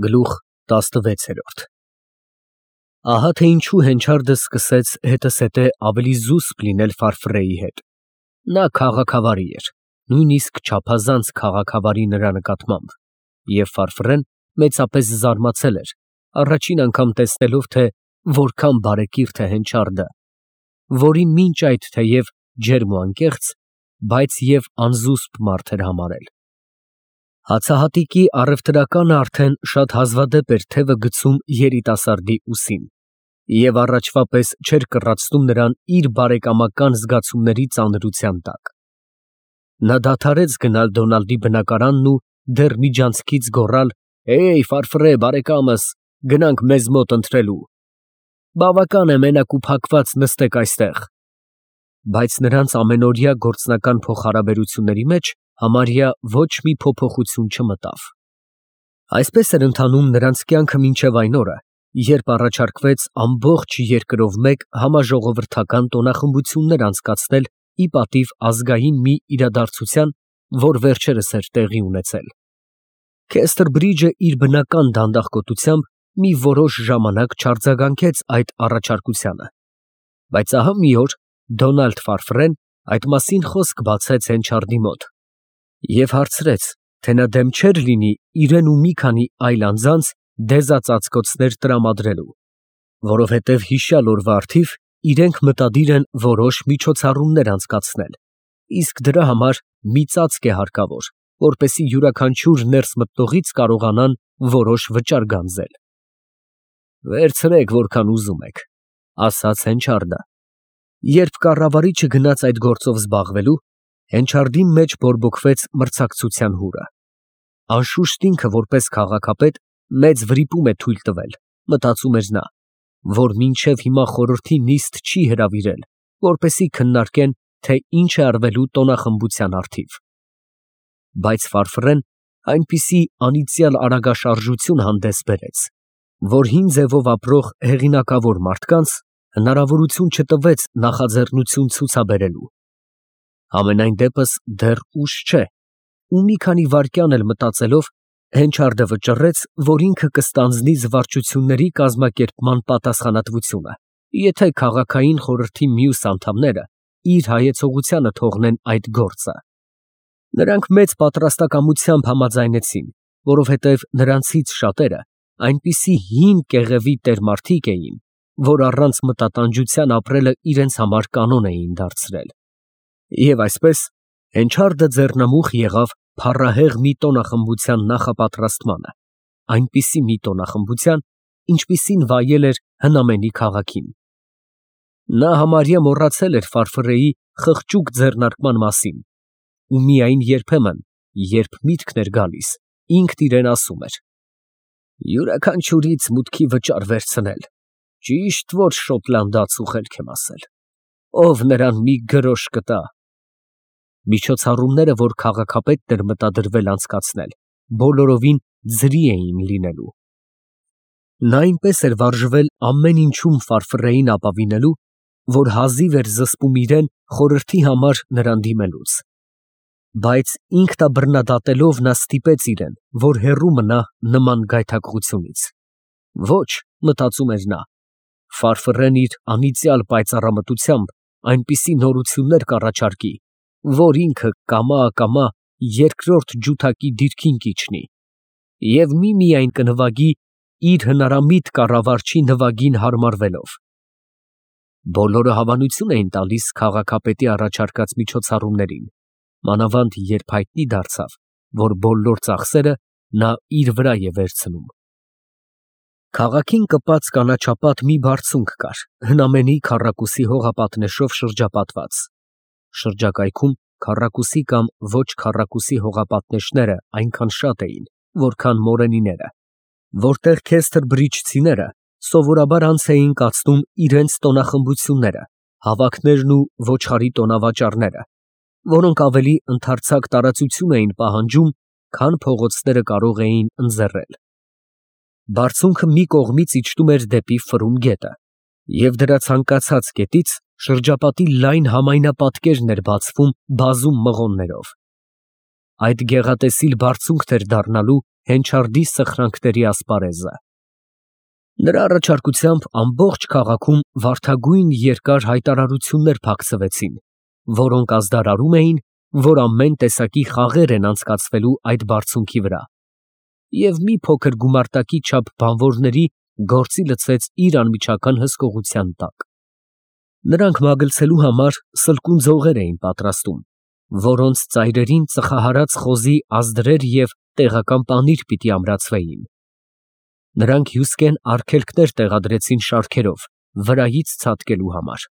Գլուխ 16 Ահա թե ինչու Հենչարդը սկսեց հետզհետե ավելի զուսպ լինել Ֆարֆրեի հետ. նա քաղաքավարի էր, նույնիսկ չափազանց քաղաքավարի նրա նկատմամբ, և Ֆարֆրեն մեծապես զարմացել էր, առաջին անգամ տեսնելով, թե որքան բարեկիրթ է Հենչարդը, որին մինչ այդ թեև ջերմ ու անկեղծ, բայց և անզուսպ մարդ էր համարել։ Հացահատիկի առևտրականը արդեն շատ հազվադեպ էր թևը գցում երիտասարդի ուսին և առաջվա պես չէր կռացնում նրան իր բարեկամական զգացումների ծանրության տակ։ Նա դադարեց գնալ Դոնալդի բնակարանն ու դեռ միջանցքից գոռալ. «Հեյ, Ֆարֆրե բարեկամս, գնանք մեզ մոտ ընթրելու։ Բավական է մենակ ու փակված նստեք այստեղ»։ Բայց նրանց ամենօրյա գործնական փոխհարաբերությունների մեջ համարյա ոչ մի փոփոխություն չմտավ։ Այսպես էր ընթանում նրանց կյանքը մինչև այն օրը, երբ առաջարկվեց ամբողջ երկրով մեկ համաժողովրդական տոնախմբություններ անցկացնել ի պատիվ ազգային մի իրադարձության, որ վերջերս էր տեղի ունեցել։ Քեսթրբրիջը իր բնական դանդաղկոտությամբ մի որոշ ժամանակ չարձագանքեց այդ առաջարկությանը, բայց ահա մի օր Դոնալդ Ֆարֆրեն այդ մասին խոսք բացեց Հենչարդի մոտ և հարցրեց, թե նա դեմ չէր լինի իրեն ու մի քանի այլ անձանց դեզածածկոցներ տրամադրելու, որովհետև հիշյալ օրվա առթիվ իրենք մտադիր են որոշ միջոցառումներ անցկացնել, իսկ դրա համար մի ծածկ է հարկավոր, որպեսզի յուրաքանչյուր ներս մտնողից կարողանան որոշ վճար գանձել։ «Վերցրեք, որքան ուզում եք», ասաց Հենչարդը։ Երբ կառավարիչը գնաց այդ գործով զբաղվելու, Հենչարդի մեջ բորբոքվեց մրցակցության հուրը։ Անշուշտ ինքը որպես քաղաքապետ մեծ վրիպում է թույլ տվել, մտածում էր նա, որ մինչև հիմա խորհրդի նիստ չի հրավիրել, որպեսզի քննարկեն, թե ինչ է արվելու տոնախմբության առթիվ։ Բայց Ֆարֆրեն այնպիսի անիծյալ արագաշարժություն հանդես բերեց, որ հին ձևով ապրող հեղինակավոր մարդկանց հնարավորություն չտվեց նախաձեռնություն ցուցաբերելու։ Համենայն դեպս դեռ ուշ չէ, ու մի քանի վայրկյան էլ մտածելով Հենչարդը վճռեց, որ ինքը կստանձնի զվարճությունների կազմակերպման պատասխանատվությունը, եթե քաղաքային խորհրդի մյուս անդամները իր հայեցողությանը թողնեն այդ գործը։ Նրանք մեծ պատրաստակամությամբ համաձայնեցին, որովհետև նրանցից շատերը այնպիսի հին կեղևի տերմարդիկ էին, որ առանց մտատանջության ապրելը իրենց համար կանոն էին դարձրել։ Եվ այսպես Հենչարդը ձեռնամուխ եղավ փառահեղ մի տոնախմբության նախապատրաստմանը, այնպիսի մի տոնախմբության, ինչպիսին վայել էր հնամենի քաղաքին։ Նա համարյա մոռացել էր Ֆարֆրեի խղճուկ ձեռնարկման մասին ու միայն երբեմն, երբ միտքն էր գալիս, ինքն իրեն ասում էր. «Յուրաքանչյուրից մուտքի վճար վերցնել, ճիշտ որ շոտլանդացու խելք եմ ասել, ով նրան մի գրոշ կտա»։ Միջոցառումները, որ քաղաքապետն էր մտադրվել անցկացնել, բոլորովին ձրի էին լինելու։ Նա այնպես էր վարժվել ամեն ինչում Ֆարֆրեին ապավինելու, որ հազիվ էր զսպում իրեն խորհրդի համար նրան դիմելուց։ Բայց ինքնաբռնադատելով նա ստիպեց իրեն, որ հեռու մնա նման գայթակղությունից։ Ոչ, մտածում էր նա, Ֆարֆրեն իր անիծյալ պայծառամտությամբ այնպիսի նորություններ կառաջարկի, որ ինքը կամա երկրորդ ջութակի դիրքին կիջնի և միմիայն կնվագի իր հնարամիտ կառավարչի նվագին հարմարվելով։ Բոլորը հավանություն էին տալիս քաղաքապետի առաջարկած միջոցառումներին, մանավանդ երբ հայտնի դարձավ, որ բոլոր ծախսերը նա իր վրա է վերցնում։ Քաղաքին կպած կանաչապատ մի բարձունք կար, հնամենի քառակուսի հողապատնեշով շրջապատված։ Շրջակայքում քառակուսի կամ ոչ քառակուսի հողապատնեշները այնքան շատ էին, որքան մորենիները, որտեղ քեսթրբրիջցիները սովորաբար անց էին կացնում իրենց տոնախմբությունները, հավաքներն ու ոչխարի տոնավաճառները, որոնք ավելի ընդարձակ տարածություն էին պահանջում, քան փողոցները կարող էին ընձեռել։ Բարձունքը մի կողմից իջնում էր դեպի Ֆրուն գետը, և դրա ցանկացած կետից շրջապատի լայն համայնապատկերն էր բացվում բազում մղոններով։ Այդ գեղատեսիլ բարձունքն էր դառնալու Հենչարդի սխրանքների ասպարեզը։ Նրա առաջարկությամբ ամբողջ քաղաքում վարդագույն երկար հայտարարություններ փակցվեցին, որոնք ազդարարում էին, որ ամեն տեսակի խաղեր են անցկացվելու այդ բարձունքի վրա, և մի փոքր գումարտակի չափ բանվորների գործի լցվեց իր անմիջական հսկողության տակ։ Նրանք մագլցելու համար սլկուն ձողեր էին պատրաստում, որոնց ծայրերին ծխահարած խոզի ազդրեր և տեղական պանիր պիտի ամրացվեին։ Նրանք հյուսկեն արգելքներ տեղադրեցին շարքերով, վրայից ցատկելու համար։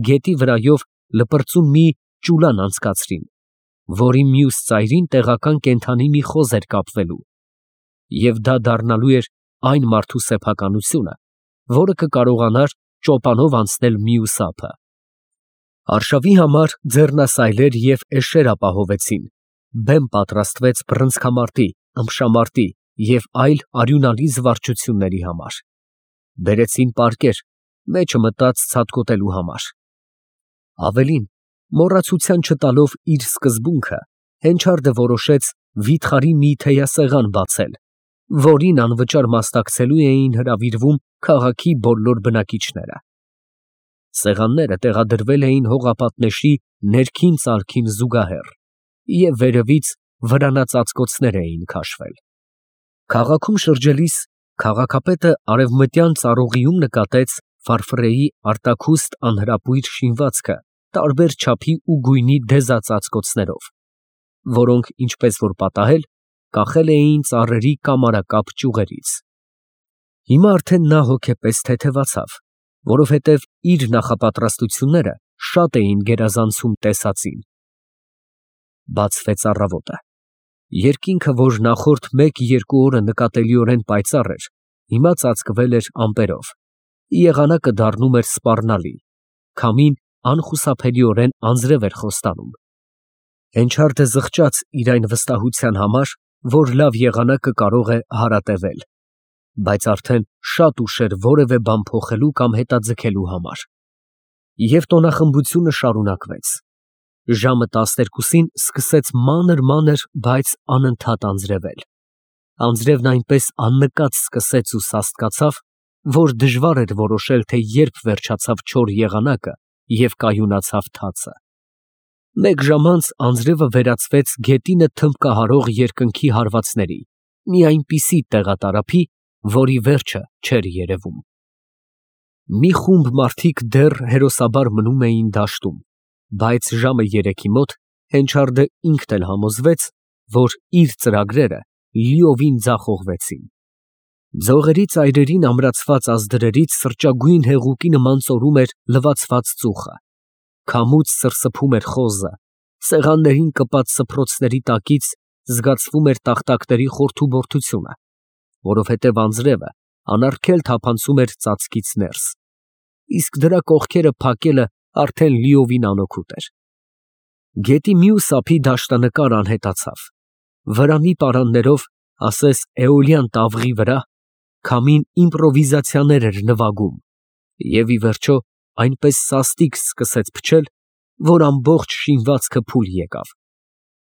Գետի վրայով լպրծուն մի ճուլան անցկացրին, որի մյուս ծայրին տեղական կենդանի մի խոզ էր կապվելու, և դա դառնալու էր այն մարդու սեփականությունը, որը կկարողանար ճոպանով անցնել մյուս ափը։ Արշավի համար ձեռնասայլեր և էշեր ապահովեցին, բեմ պատրաստվեց բռնցքամարտի, ըմբշամարտի և այլ արյունալի զվարճությունների համար։ Բերեցին պարկեր, մեջը մտած ցատկոտելու համար։ Ավելին, մոռացության չտալով իր սկզբունքը, Հենչարդը որոշեց վիթխարի մի թեյասեղան բացել, որին անվճար մասնակցելու էին հրավիրվում քաղաքի բոլոր բնակիչները։ Սեղանները տեղադրվել էին հողապատնեշի ներքին ծալքին զուգահեռ, և վերևից վրանածածկոցներ էին քաշվել։ Քաղաքում շրջելիս քաղաքապետը արևմտյան ծառուղիում նկատեց Ֆարֆրեի արտաքուստ անհրապույր շինվածքը տարբեր չափի ու գույնի դեզածածկոցներով, որոնք, ինչպես որ պատահել, կախել էին ծառերի կամարակապ ճյուղերից։ Հիմա արդեն նա հոգեպես թեթևացավ, որովհետև իր նախապատրաստությունները շատ էին գերազանցում տեսածին։ Բացվեց առավոտը։ Երկինքը, որ նախորդ 1-2 օրը նկատելիորեն պայծառ էր, հիմա ծածկվել էր ամպերով, եղանակը դառնում էր սպառնալի, քամին անխուսափելիորեն անձրև էր խոստանում։ Հենչարդը զղջաց իր այն վստահության համար, որ լավ եղանակը կարող է հարատևել, բայց արդեն շատ ուշ էր որևէ բան փոխելու կամ հետաձգելու համար։ Եվ տոնախմբությունը շարունակվեց։ Ժամը 12-ին սկսեց մանր, բայց անընդհատ անձրևել։ Անձրևն այնպես աննկատ սկսեց ու սաստկացավ, որ դժվար էր որոշել, թե երբ վերջացավ չոր եղանակը և կայունացավ թացը։ Մեկ ժամ անց անձրևը վերածվեց գետինը թմբկահարող երկնքի հարվածների, մի այնպիսի տեղատարափի, որի վերջը չէր երևում։ Մի խումբ մարդիկ դեռ հերոսաբար մնում էին դաշտում, բայց ժամը 3-ի մոտ Հենչարդը ինքն էլ համոզվեց, որ իր ծրագրերը լիովին ձախողվեցին։ Ձողերի ծայրերին ամրացված ազդրերից սրճագույն հեղուկի նման ծորում էր լվացված ծուխը, քամուց սրսփում էր խոզը, սեղաններին կպած սփռոցների տակից զգացվում էր տախտակների խորթուբորթությունը, որովհետև անձրևը անարգել թափանցում էր ծածկից ներս, իսկ դրա կողքերը փակելը արդեն լիովին անօգուտ էր։ Գետի մյուս ափի դաշտանկար անհետացավ, վրանի պարաններով, ասես էոլյան տավղի վրա, քամին իմպրովիզացիաներ էր նվագում, և ի վերջո այնպես սաստիկ սկսեց փչել, որ ամբողջ շինվածքը փուլ եկավ,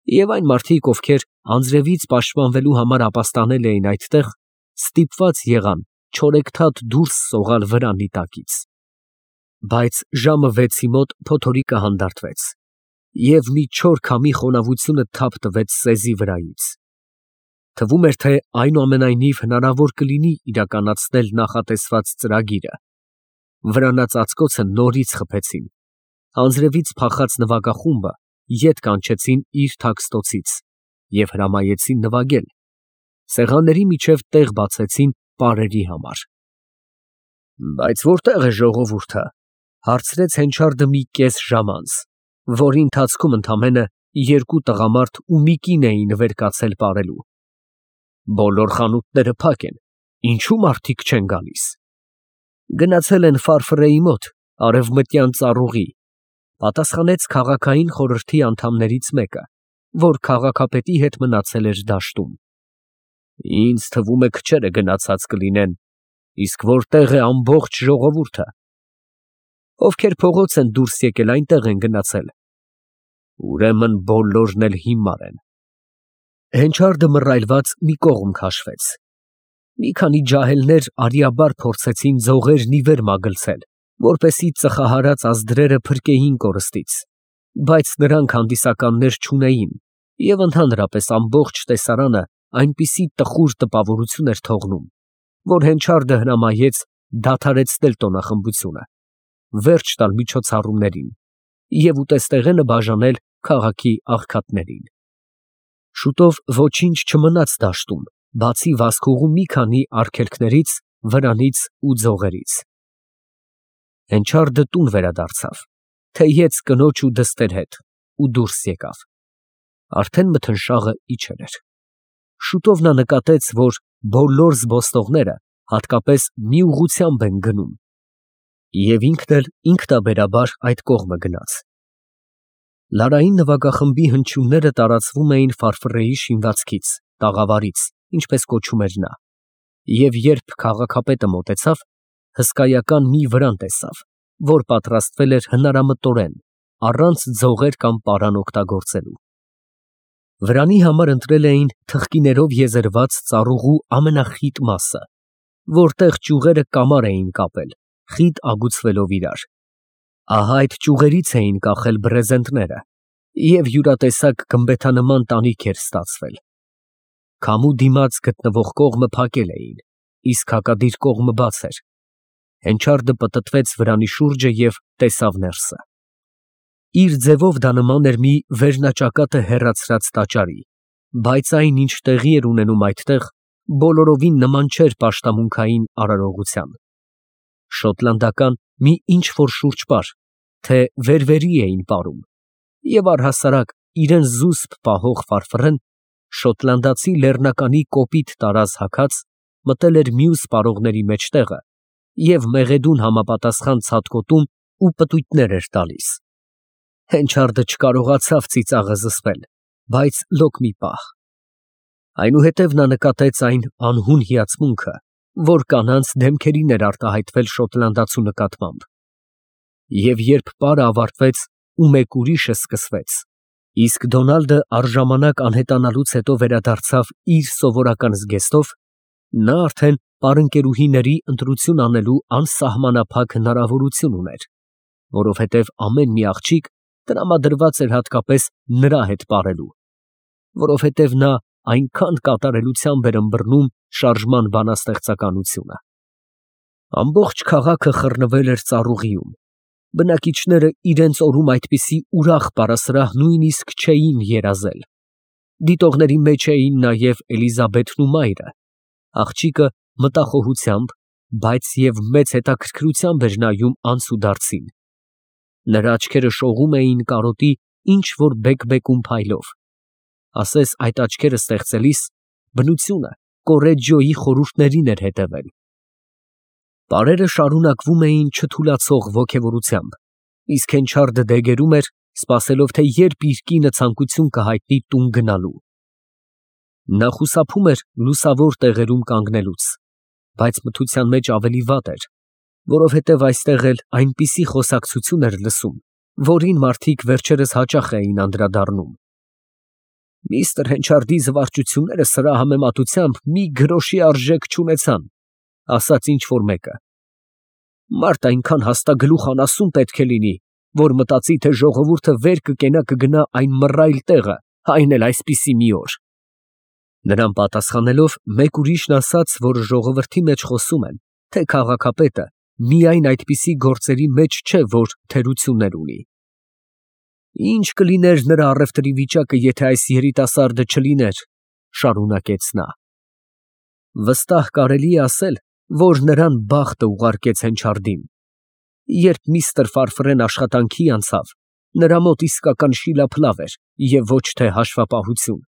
և այն մարդիկ, ովքեր անձրևից պաշտպանվելու համար ապաստանել էին այդտեղ, ստիպված եղան չորեքթաթ դուրս սողալ վրանի տակից։ Բայց ժամը 6-ի մոտ փոթորիկը հանդարտվեց, և մի չոր քամի խոնավությունը թափ տվեց սեզի վրայից։ Թվում էր, թե այնուամենայնիվ հնարավոր կլինի իրականացնել նախատեսված ծրագիրը։ Վրանածածկոցը նորից խփեցին, անձրևից փախած նվագախումբը ետ կանչեցին իր թաքստոցից և հրամայեցին նվագել, սեղանների միջև տեղ բացեցին պարերի համար։ Բայց որտե՞ղ է ժողովուրդը, հարցրեց Հենչարդը մի կես ժամ անց, որի ընթացքում ընդամենը 2 տղամարդ ու մի կին էին վեր կացել պարելու։ Բոլոր խանութները փակ են, ինչո՞ւ մարդիկ չեն գալիս։ Գնացել են Ֆարֆրեի մոտ, արևմտյան ծառուղի, պատասխանեց քաղաքային խորհրդի անդամներից մեկը, որ քաղաքապետի հետ մնացել էր դաշտում։ Ինձ թվում է քչերը գնացած կլինեն, իսկ որտե՞ղ է ամբողջ ժողովուրդը։ Ովքեր փողոց են դուրս եկել, այնտեղ են գնացել։ Ուրեմն բոլորն էլ հիմար են։ Հենչարդը մռայլված մի կողմ քաշվեց։ Մի քանի ջահելներ արիաբար փորձեցին ձողերն ի վեր մագլցել, որպեսզի ծխահարած ազդրերը փրկեին կորստից, բայց նրանք հանդիսականներ չունեին, և ընդհանրապես ամբողջ տեսարանը այնպիսի տխուր տպավորություն էր թողնում, որ Հենչարդը հրամայեց դադարեցնել տոնախմբությունը, վերջ տալ միջոցառումներին և ուտեստեղենը բաժանել քաղաքի աղքատներին։ Շուտով ոչինչ չմնաց դաշտում, բացի վազքուղու մի քանի արգելքներից, վրանից ու ձողերից։ Հենչարդը տուն վերադարձավ, թեյեց կնոջ ու դստեր հետ ու դուրս եկավ։ Արդեն մթնշաղը իջել էր։ Շուտով նա նկատեց, որ բոլոր զբոսնողները հատկապես մի ուղղությամբ են գնում, և ինքն էլ ինքնաբերաբար այդ կողմը գնաց։ Լարային նվագախմբի հնչյունները տարածվում էին Ֆարֆռեի շինվածքից, տաղավարից, ինչպես կոչում էր նա, և երբ քաղաքապետը մոտեցավ, հսկայական մի վրան տեսավ, որ պատրաստվել էր հնարամտորեն, առանց ձողեր կամ պարան օգտագործելու։ Վրանի համար ընտրել էին թխկիներով եզերված ծառուղու ամենախիտ մասը, որտեղ ճյուղերը կամար էին կապել, խիտ ագուցվելով իրար։ Ահա այդ ճյուղերից էին կախել բրեզենտները, և յուրատեսակ գմբեթանման տանիք էր ստացվել։ Քամու դիմաց գտնվող կողմը փակել էին, իսկ հակադիր կողմը բաց էր։ Հենչարդը պտտվեց վրանի շուրջը և տեսավ ներսը։ Իր ձևով դա նման էր մի վերնաճակատը հեռացրած տաճարի, բայց այն, ինչ տեղի էր ունենում այդտեղ, բոլորովին նման չէր պաշտամունքային արարողության։ Շոտլանդական մի ինչ֊որ շուրջպար, թե վեր֊վերի էին պարում, և առհասարակ իրան զուսպ պահող Ֆարֆռեն, շոտլանդացի լեռնականի կոպիտ տարազ հագած, մտել էր մյուս պարողների մեջտեղը և մեղեդուն համապատասխան ցատկոտում ու պտույտներ էր տալիս։ Հենչարդը չկարողացավ ծիծաղը զսպել, բայց լոկ մի պահ։ Այնուհետև նա նկատեց այն անհուն հիացմունքը, որ կանանց դեմքերին էր արտահայտվել շոտլանդացու նկատմամբ։ Եվ երբ պարը ավարտվեց ու մեկ ուրիշը սկսվեց, իսկ Դոնալդը առժամանակ անհետանալուց հետո վերադարձավ իր սովորական զգեստով, նա արդեն պարընկերուհիների ընտրություն անելու անսահմանափակ հնարավորություն ուներ, որովհետև ամեն մի աղջիկ տրամադրված էր հատկապես նրա հետ պարելու, որովհետև նա այնքան կատարելությամբ էր ըմբռնում շարժման բանաստեղծականությունը։ Ամբողջ քաղաքը խռնվել էր ծառուղիում, բնակիչները իրենց օրում այդպիսի ուրախ պարասրահ նույնիսկ չէին երազել։ Դիտողների մեջ էին նաև Էլիզաբեթն ու մայրը։ Աղջիկը մտախոհությամբ, բայց և մեծ հետաքրքրությամբ էր նայում անցուդարձին։ Նրա աչքերը շողում էին կարոտի ինչ֊որ բեկ֊բեկում փայլով։ Ասես այդ աչքերը ստեղծելիս բնությունը Կոռեջիոյի խորհուրդներին էր հետևել։ Պարերը շարունակվում էին չթուլացող ոգևորությամբ, իսկ Հենչարդը դեգերում էր, սպասելով, թե երբ իր կինը ցանկություն կհայտնի տուն գնալու։ Նա խուսափում էր լուսավոր տեղերում կանգնելուց, բայց մթության մեջ ավելի վատ էր, որովհետև այստեղ էլ այնպիսի խոսակցություն էր լսում, որին մարդիկ վերջերս հաճախ էին անդրադառնում։ Միստր Հենչարդի զվարճությունները սրա համեմատությամբ մի գրոշի արժեք չունեցան, ասաց ինչ֊որ մեկը։ Մարդ այնքան հաստագլուխ անասուն պետք է լինի, որ մտածի, թե ժողովուրդը վեր կգնա այն մռայլ տեղը, այն էլ այսպիսի մի օր։ Նրան պատասխանելով, մեկ ուրիշն ասաց, որ ժողովրդի մեջ խոսում են, թե քաղաքապետը միայն այդպիսի գործերի մեջ չէ, որ թերություններ ունի։ Ինչ կլիներ նրա առևտրի վիճակը, եթե այս երիտասարդը չլիներ, շարունակեց նա։ Վստահ կարելի է ասել, որ նրան բախտը ուղարկեց Հենչարդին։ Երբ միստր Ֆարֆռեն աշխատանքի անցավ, նրա մոտ իսկական շիլափլավ էր և ոչ թե հաշվապահություն։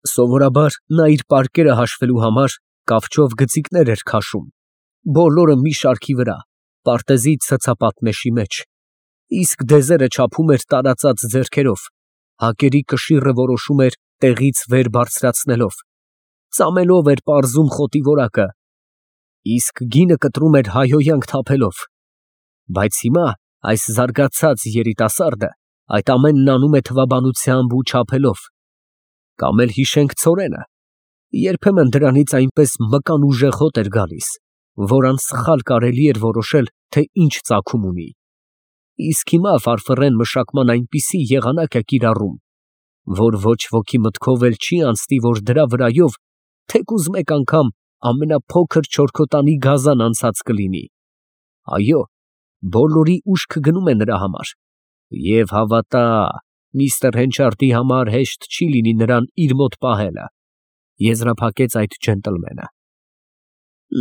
Սովորաբար նա իր պարկերը հաշվելու համար կավչով գծիկներ էր քաշում, բոլորը մի շարքի վրա, պարտեզի ցցապատնեշի մեջ, իսկ դեզերը չափում էր տարածած ձեռքերով, հակերի կշիռը որոշում էր տեղից վեր բարձրացնելով, ծամելով էր պարզում խոտի որակը, իսկ գինը կտրում էր հայհոյանք թափելով։ Բայց հիմա այս զարգացած երիտասարդը այդ ամենն անում է թվաբանությամբ ու չափելով։ Կամ էլ հիշենք ցորենը, երբեմն դրանից այնպես մկան ուժեղ հոտ էր գալիս, որ անսխալ կարելի էր որոշել, թե ինչ ծագում ունի։ Իսկ հիմա ֆարֆռեն մշակման այնպիսի եղանակ է կիրառում, որ ոչ ոքի մտքով էլ չի անցնի, որ դրա վրայով թեկուզ մեկ անգամ ամենափոքր չորքոտանի գազան անցած կլինի։ Այո, բոլորի ուշքը գնում է նրա համար, և հավատա, միստր Հենչարդի համար հեշտ չի լինի նրան իր մոտ պահելը, եզրափակեց այդ ջենտլմենը։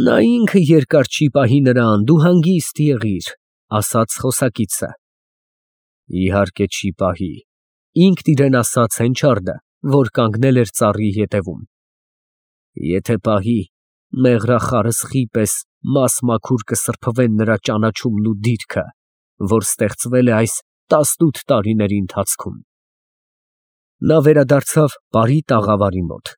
Նա ինքը երկար չի պահի նրան, դու հանգիստ եղիր, ասաց խոսակիցը։ Իհարկե չի պահի, ինքն իրեն ասաց Հենչարդը, որ կանգնել էր ծառի ետևում։ Եթե պահի, մեղրախարսխի պես մաս-մաքուր կսրբվեն նրա ճանաչումն ու դիրքը, որ ստեղծվել է այս 18 տարիների ընթացքում։ Նա վերադարձավ բարի տաղավարի մոտ։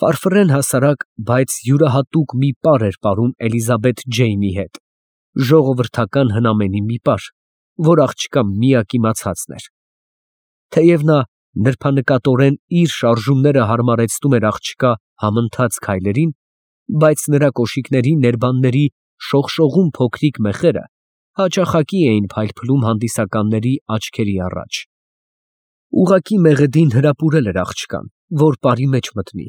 Ֆարֆռեն հասարակ, բայց յուրահատուկ մի պար էր պարում Էլիզաբեթ Ջեյնի հետ, ժողովրդական հնամենի մի պար, որ աղջկա միակ իմացածն էր։ Թեև նա նրբանկատորեն իր շարժումները հարմարեցնում էր աղջկա համընթաց քայլերին, բայց նրա կոշիկների ներբանների շողշողուն փոքրիկ մեխերը հաճախակի էին փայլփլում հանդիսականների աչքերի առաջ։ Ուղղակի մեղեդին հրապուրել էր աղջկան, որ պարի մեջ մտնի։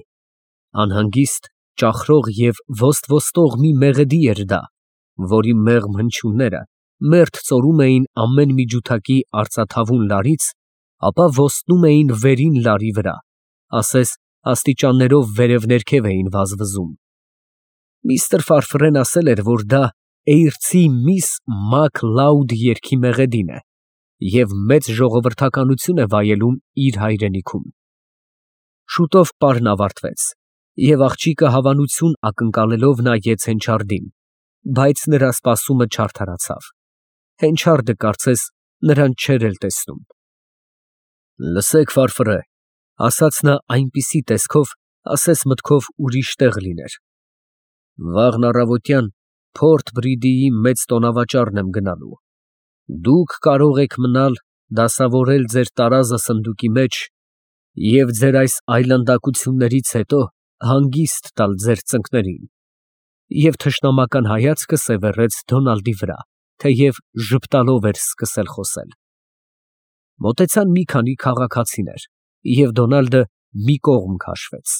Անհանգիստ, ճախրող և ոստ-ոստող մի մեղեդի էր դա, որի մեղմ հնչյունները մերթ ծորում էին ամեն մի ջութակի արծաթավուն լարից, ապա ոստնում էին վերին լարի վրա, ասես աստիճաններով վերև֊ներքև էին վազվզում։ Միստր Ֆարֆռեն ասել էր, որ դա Էյրցի միս Մակ Լաուդ երգի մեղեդին է և մեծ ժողովրդականություն է վայելում իր հայրենիքում։ Շուտով պարն ավարտվեց, և աղջիկը հավանություն ակնկալելով նայեց Հենչարդին, բայց նրա սպասումը չարդարացավ։ Հենչարդը կարծես նրան չէր էլ տեսնում։ Լսեք, Ֆարֆռե, ասաց նա այնպիսի տեսքով, ասես մտքով ուրիշ տեղ լիներ։ Վաղն առավոտյան Փորթ Բրիդիի մեծ տոնավաճառն եմ գնալու։ Դուք կարող եք մնալ դասավորել ձեր տարազը սնդուկի մեջ և ձեր այս այլանդակություններից հետո հանգիստ տալ ձեր ծնկներին։ Եվ թշնամական հայացքը սևեռեց Դոնալդի վրա, թեև ժպտալով էր սկսել խոսել։ Մոտեցան մի քանի քաղաքացիներ, և Դոնալդը մի կողմ քաշվեց։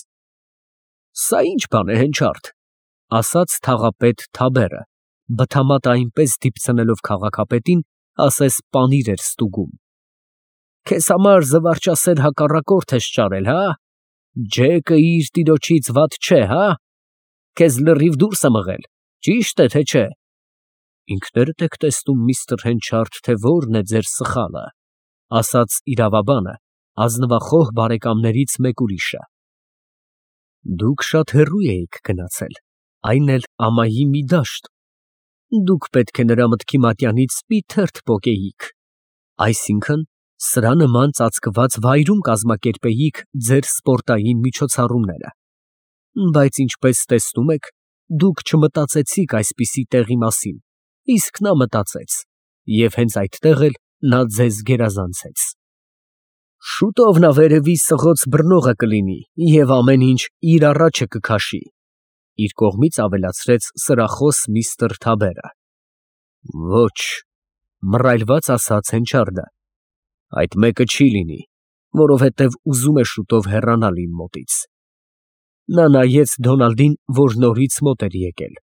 Սա ի՞նչ բան է, Հենչարդ, ասաց թաղապետ Թաբերը, բթամատը այնպես դիպցնելով քաղաքապետին, ասես պանիր էր ստուգում։ Քեզ համար զվարճասեր հակառակորդ ես ճարել, հա։ Ջեկը իր տիրոջից վատ չէ, հա։ Քեզ լրիվ դուրս է մղել, ճի՞շտ է, թե չէ։ Ինքներդ եք տեսնում, միստր Հենչարդ, թե որն է ձեր սխալը, ասաց իրավաբանը ազնվախոհ բարեկամներից մեկ ուրիշը։ Դուք շատ հեռու էիք գնացել, այն էլ ամայի մի դաշտ։ Դուք պետք է նրա մտքի մատյանից մի թերթ պոկեիք, այսինքն սրա նման ծածկված վայրում կազմակերպեիք ձեր սպորտային միջոցառումները։ Բայց ինչպես տեսնում եք, դուք չմտածեցիք այսպիսի տեղի մասին, իսկ նա մտածեց, և հենց այդտեղ էլ նա ձեզ գերազանցեց։ Շուտով նա վերևի սղոց բռնողը կլինի և ամեն ինչ իր առաջը կքաշի, իր կողմից ավելացրեց սրախոս միստր Թաբերը։ Ոչ, մռայլված ասաց Հենչարդը, այդ մեկը չի լինի, որովհետև ուզում է շուտով հեռանալ իմ մոտից։ Նա նայեց Դոնալդին, որ նորից մոտ էր եկել։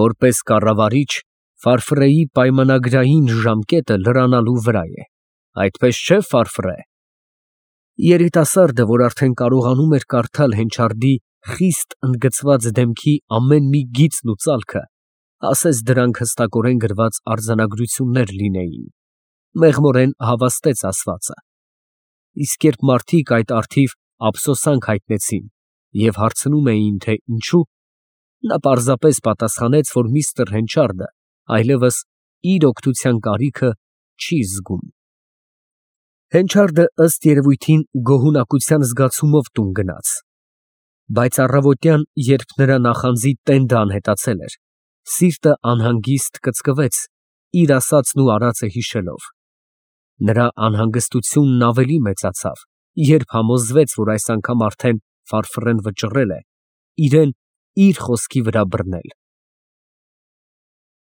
Որպես կառավարիչ, Ֆարֆռեի պայմանագրային ժամկետը լրանալու վրա է, այդպես չէ, Ֆարֆռե։ Երիտասարդը, որ արդեն կարողանում էր կարդալ Հենչարդի խիստ ընդգծված դեմքի ամեն մի գիծն ու ծալքը, ասես դրանք հստակորեն գրված արձանագրություններ լինեին, մեղմորեն հավաստեց ասվածը։ Իսկ երբ մարդիկ այդ առթիվ ափսոսանք հայտնեցին և հարցնում էին, թե ինչու, նա պարզապես պատասխանեց, որ միստր Հենչարդը այլևս իր օգնության կարիքը չի զգում։ Հենչարդը ըստ երևույթին գոհունակության զգացումով տուն գնաց, բայց առավոտյան, երբ նրա նախանձի տենդը անհետացել էր, սիրտը անհանգիստ կծկվեց իր ասածն ու արածը հիշելով։ Նրա անհանգստությունն ավելի մեծացավ, Երբ համոզվեց, որ այս անգամ արդեն ֆարֆռեն վճռել է, իրեն իր խոսքի վրա բռնել։